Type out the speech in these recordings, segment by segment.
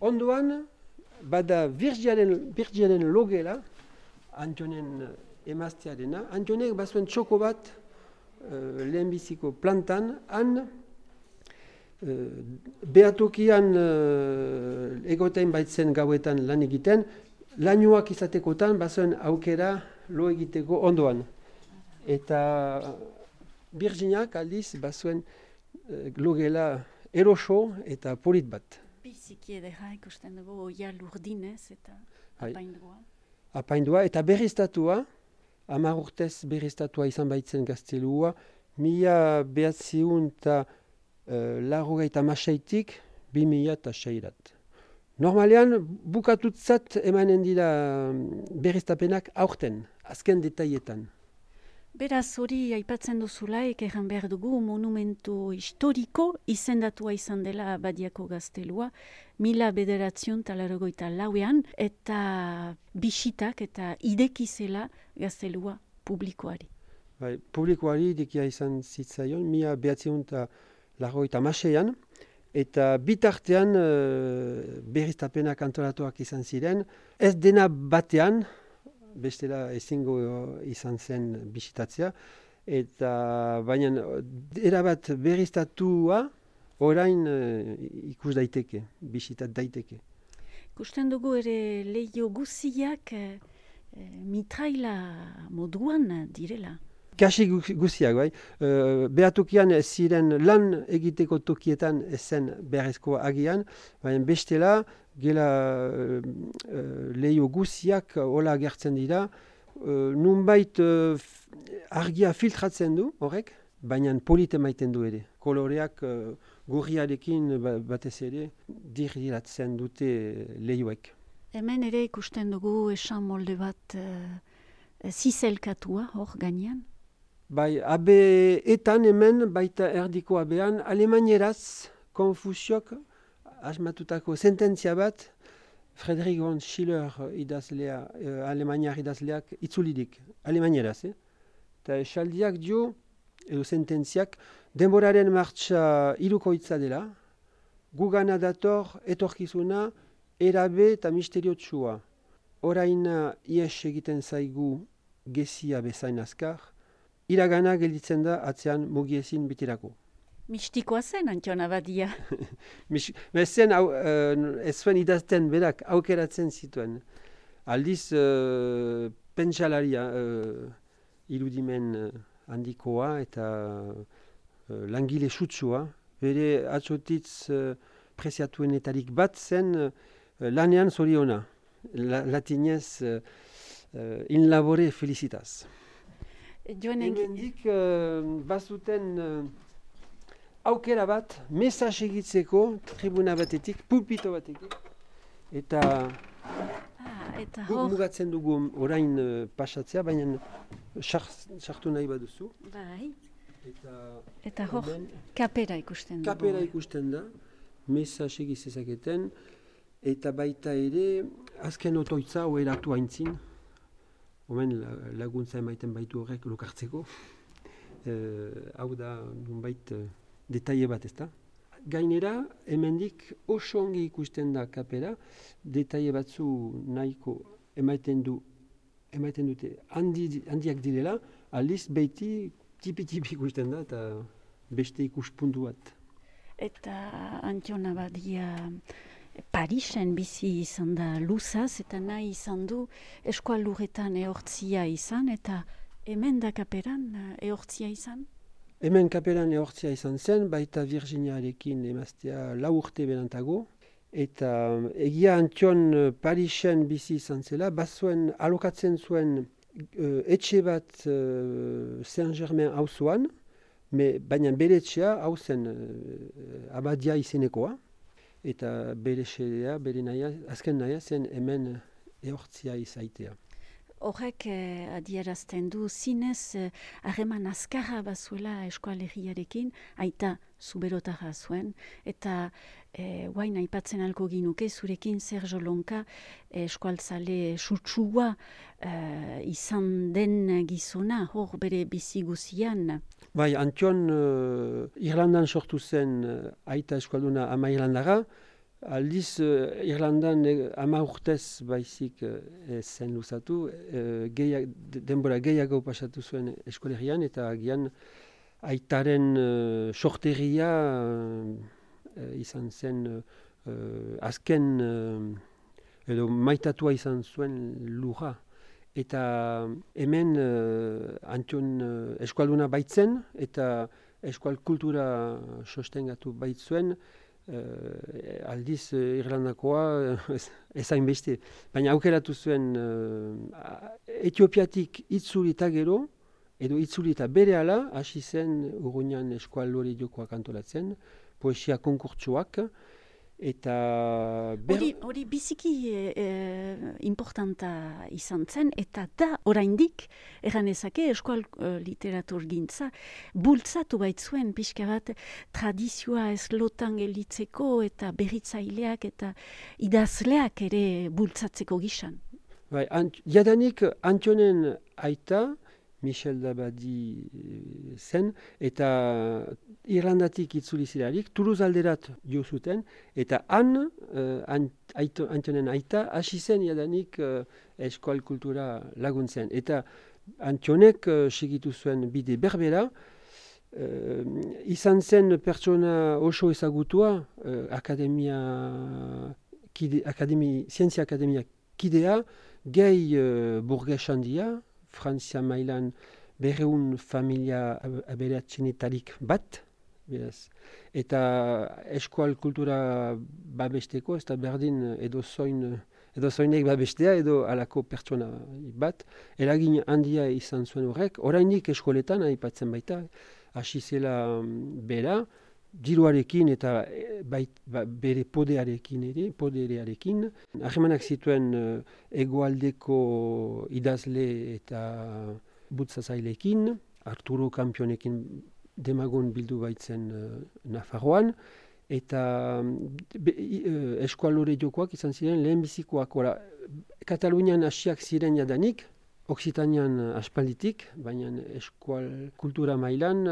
Ondoan, bada Virgiaren logela, Antionen emaztearena. Antonek bazuen txoko bat lehenbiziko plantan, han behatokian egoten baitzen gauetan lan egiten, lainoak izatekotan bazuen aukera lo egiteko ondoan. Eta Virginiak aldiz bazuen logela eroso eta polit bat. Biziki edera ikusten dugu oia lurdinez eta apaindua. Apaindua eta berriztatua, 10 urtez berriztatua izan baitzen gaztelua, 1986tik 2006. Normalean, bukatutzat emanen dira berriztapenak aurten, azken detaietan. Beraz hori aipatzen duzulaik erran behar dugu monumentu historiko izendatua izan dela Badiako gaztelua 1984 eta bisitak eta idekizela gaztelua publikoari. Bai, publikoari idekia izan zitzaion 1986an eta bitartean berriztapenak antolatuak izan ziren, ez dena batean, bestela ezingo izan zen bisitatzea, eta baina erabat berriztatua orain ikus daiteke, bisitat daiteke. Ikusten dugu ere leio guziak mitraila moduan direla. Kasi guziak, bai. Behatokian ez ziren lan egiteko tokietan ezen beharrezkoa agian, baina bestela gela leio guziak hola agertzen dira, nunbait argia filtratzen du horrek, baina polite maiten du ere. Koloreak gorriarekin batez ere diriratzen dute leioek. Hemen ere ikusten dugu esan molde bat zizelkatua hor gainean. Bai, abeetan hemen baita erdiko abean, alemanieraz Konfuziok asmatutako sententzia bat Friedrich von Schiller idazlea, alemaniar idazleak itzulidik, alemanieraz. Eta esaldiak dio, edo sententziak, denboraren martxa hirukoitza dela, gugana dator etorkizuna erabe eta misteriotsua. Oraina ies egiten zaigu gezia bezain azkar, iragana gelditzen da atzean mugiezin bitirako. Mistikoa zen, Antion Abadia. Zen ez zuen idazten berak aukeratzen zituen. Aldiz pentsalaria irudimen handikoa eta langile sutsua. Bere atzotitz preziatuenetarik bat zen lanean zoriona. Latinez in labore felicitas. Hemendik bazuten aukera bat, mesaz egitzeko tribuna batetik, pulpito batetik, eta mugatzen dugu orain pasatzea, baina sartu nahi baduzu. Bai. Eta hor, kapera ikusten dugu. Kapera ikusten da, mesaz egitzezaketen, eta baita ere, azken otoitza oeratu haintzin, omen laguntza emaiten baitu horrek lokartzeko. Hau da, nunbait, detaile bat, ezta? Gainera, hemendik oso ongi ikusten da kapera, detaile batzu nahiko emaiten dute handiak direla, aldiz behiti tipi-tipi ikusten da, eta beste ikuspuntu bat. Eta Antion Abadia Parisen bizi izan da luzaz, eta nahi izan du eskualurretan ehortzia izan, eta hemen da kaperan ehortzia izan? Hemen kaperan ehortzia izan zen, baita Virginiarekin emaztea 4 urte berantago, eta egia Antion Parisen bizi izan zela, bazuen alokatzen zuen etxe bat Saint-Germain auzoan, baina bere etxea hau zen Abadia izenekoa, eta bere xedea, bere nahia, azken nahia zen hemen ehortzia izaitea. Horrek adierazten du zinez harreman azkarra bazuela eskualeriarekin, aita zuberotara zuen, eta guain aipatzen alko ginuke, zurekin Sergio Lonka eskualtzale sutsua izan den gizona, hor bere bizi guzian. Bai, Antion Irlandan sortu zen aita eskualduna ama Irlandara, Aldiz, Irlandan 10 urtez baizik zen luzatu, denbora gehiago pasatu zuen eskolegian, eta agian aitaren sortegia izan zen azken edo maitatua izan zuen lurra. Eta hemen Antion eskualduna baitzen eta eskual kultura sostengatu baitzuen, aldiz Irlandakoa ezain beste. Baina aukeratu zuen Etiopiatik itzulita gero, edo itzulita berehala, hasi zen Urruñan eskual lore jokoak antolatzen, poesia konkurtsuak, eta... Hori biziki importanta izan zen, eta da oraindik erranezake eskual literatur gintza bultzatu baitzuen pixka bat tradizioa ez lotan gelditzeko eta berritzaileak eta idazleak ere bultzatzeko gisan. Bai, jadanik Antionen aita, Michel Dabadi zen, eta Irlandatik itzuli zirarik, Toulouse alderat jo zuten, eta Antionen aita hasi zen jadanik eskual kultura laguntzen. Eta Antionek segitu zuen bide berbera, izan zen pertsona oso ezagutua, Zientzia Akademia kidea, gehi burges handia, Frantzia mailan 200 familia aberatsenetarik bat, beraz. Eta eskual kultura babesteko, ez da berdin edozoinek babestea edo alako pertsona bat. Eragin handia izan zuen horrek, oraindik eskoletan aipatzen baita, hasi zela bera, diruarekin eta bere poderearekin. Harremanak zituen hegoaldeko idazle eta bultzazaileekin, Arturo Kampionekin demagun bildu baitzen Nafarroan, eta eskual lore jokoak izan ziren lehenbizikoak. Katalunian hasiak ziren jadanik, Oksitanian aspalditik, baina eskual kultura mailan,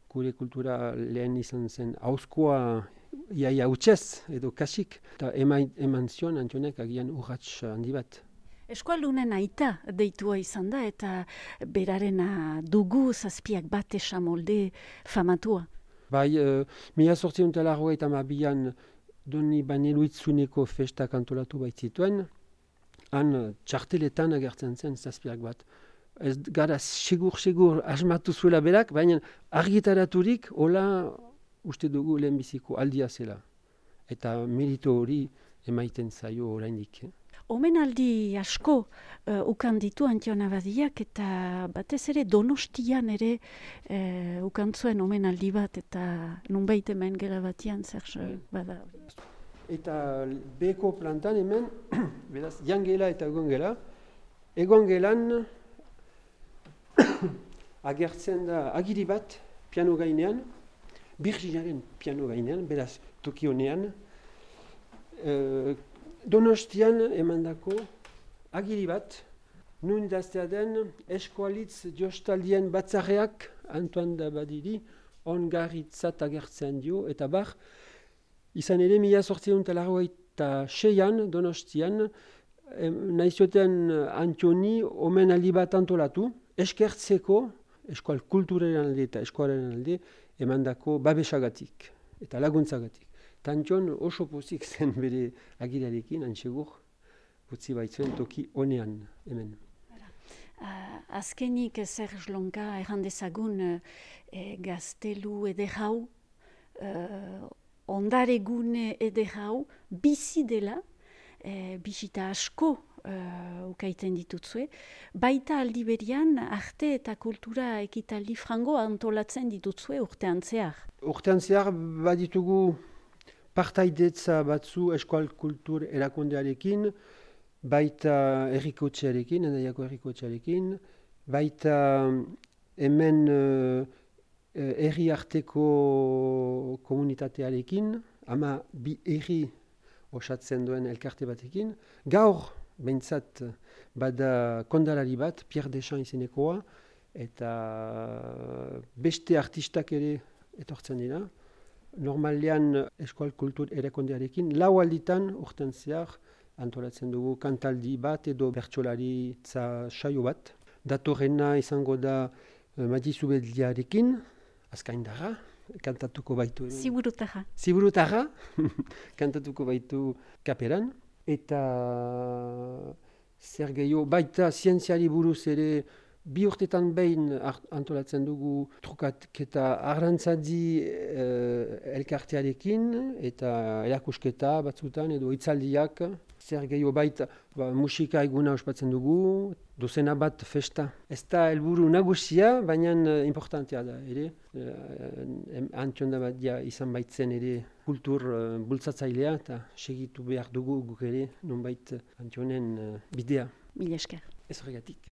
gure kultura lehen izan zen hauzkoa iaia hutsez edo kasik, eta eman zion Antionek agian urrats handi bat. Eskualdunen aita deitua izan da eta berarena dugu zazpiak bat esamolde famatua. Bai, 1882an Doni Baneluitzuneko festak antolatu baitzituen, han txarteletan agertzen zen zazpiak bat. Ez gara segur asmatu zuela berak, baina argitaraturik hola uste dugu lehenbiziko aldia zela. Eta merito hori emaiten zaio oraindik. Omenaldi asko ukan ditu Antion Abadiak eta batez ere Donostian ere ukan zuen omenaldi bat eta nunbait hemen gela batian zer bada. Eta beko plantan hemen, beraz, jangela eta egongela. Egongelan agertzen da agiri bat piano gainean, Birginaren piano gainean, beraz, toki honean. Donostian emandako agiri bat, nun idaztea den eskualitz jostaldien batzarreak Antoine Dabadiri ongarritzat agertzen dio, eta bar, izan ere 1886an Donostian nahizioten Antioni omenaldi bat antolatu, eskertzeko eskual kulturaren alde eta eskualaren alde emandako babesagatik eta laguntzagatik. Antion oso pozik zen bere agirarekin, antsegur, utzi baitzuen toki honean hemen. Azkenik Serge Lonka errandezagun gaztelu ederhau, ondaregune ederhau, bizi dela, bisita asko ukaiten ditutzue, baita aldi berian arte eta kultura ekitaldi frango antolatzen ditutzue urtean zehar. Urtean zehar baditugu partaidetza batzu eskual kultur erakundearekin, baita errikotxearekin, Hendaiako errikotxearekin, baita hemen herri arteko komunitatearekin, ama bi herri osatzen duen elkarte batekin. Gaur, behintzat, bada kondalari bat, Pierre Deschamps izenekoa, eta beste artistak ere etortzen dira. normalean eskual kultur erakondearekin, 4 alditan urten zehar antolatzen dugu kantaldi bat edo bertsolaritza saio bat. Datorrena izango da Madizubeldiarekin, azkaindarra, kantatuko baitu. Ziburutarra, kantatuko baitu kaperan. Eta zer gehiago, baita zientziari buruz ere 2 urtetan behin antolatzen dugu trukatketa arrantzadi elkartearekin eta erakusketa batzutan edo hitzaldiak. Zer gehiago baita musika eguna ospatzen dugu, dozena bat festa. Ez da helburu nagusia, baina importantea da ere. Antionda bat izan baitzen ere kultur bultzatzailea eta segitu behar dugu guk ere nonbait Antionen bidea. Mila esker. Ez horregatik.